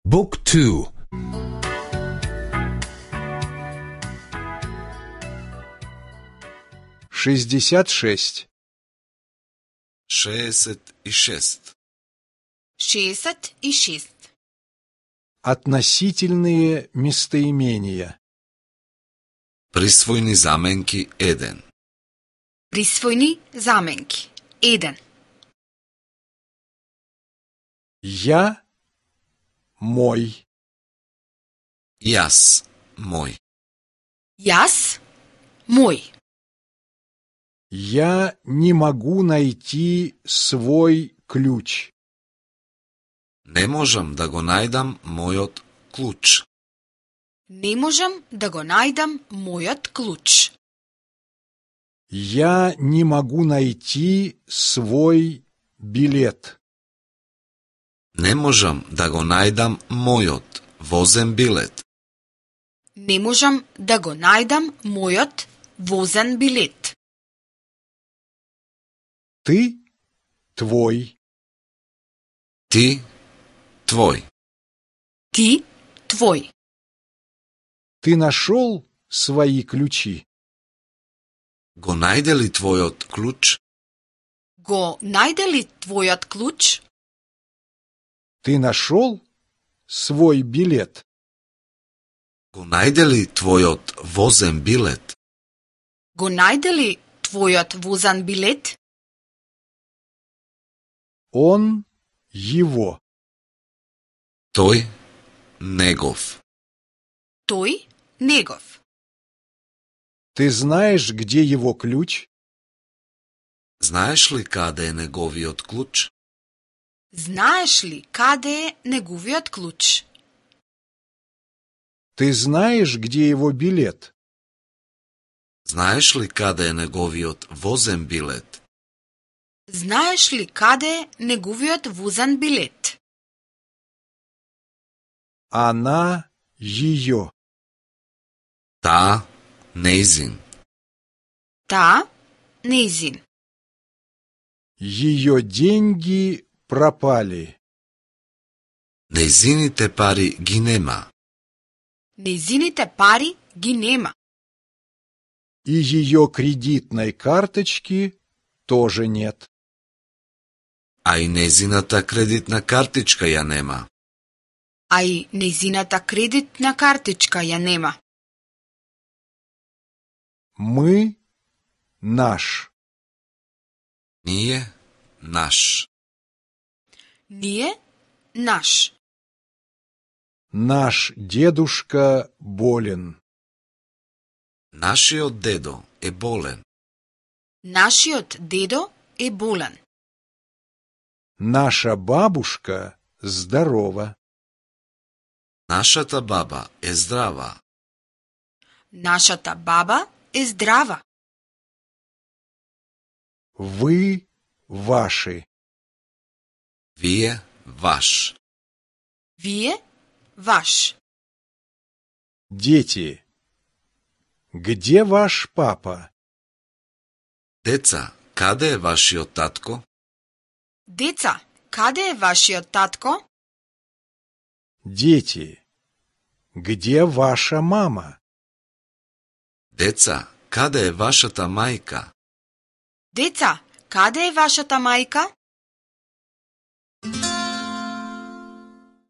Book 2. 66. 66. 66. Относительные местоимения. Присвојни заменки 1. Присвојни заменки 1. Я, мой. Јас, мој. Јас, мој. Я не могу найти свой ключ. Не можам да го најдам мојот клуч. Не можам да го најдам мојот клуч. Я не могу найти свой билет. Не можам да го најдам мојот возен билет. Не можам да го најдам мојот возен билет. Ты, твой. Ти, твој. Ти, твој. Ты нашел свои ключи? Го најде ли твојот клуч? Го најде ли твојот клуч? Ты нашел свой билет? Го најде ли твојот возен билет? Го најде ли твојот возен билет? Он, его. Тој, негов. Тој, негов. Ты знаешь, где его ключ? Знаеш ли каде е неговиот клуч? Знаеш ли каде е неговиот клуч? Ты знаешь, где его билет? Знаеш ли каде е неговиот возен билет? Знаеш ли каде е неговиот возен билет? Она, ее. Таа, нејзин. Таа, нејзин. Ее деньги пропали. Нејзините пари ги нема. Нејзините пари ги нема. И ее кредитной карточки тоже нет. А и нејзината кредитна картичка ја нема. А и нејзината кредитна картичка ја нема. Мы, наш. Ние, наш. Ние, наш. Наш дедушка болен. Нашиот дедо е болен. Нашиот дедо е болен. Наша бабушка здорова. Нашата баба е здрава. Нашата баба е здрава. Вы, ваши. Вие, ваш. Вие, ваш. Дети. Где ваш папа? Деца, каде е вашиот татко? Деца, каде е вашиот татко? Дети. Где ваша мама? Деца, каде е вашата мајка? Деца, каде е вашата мајка?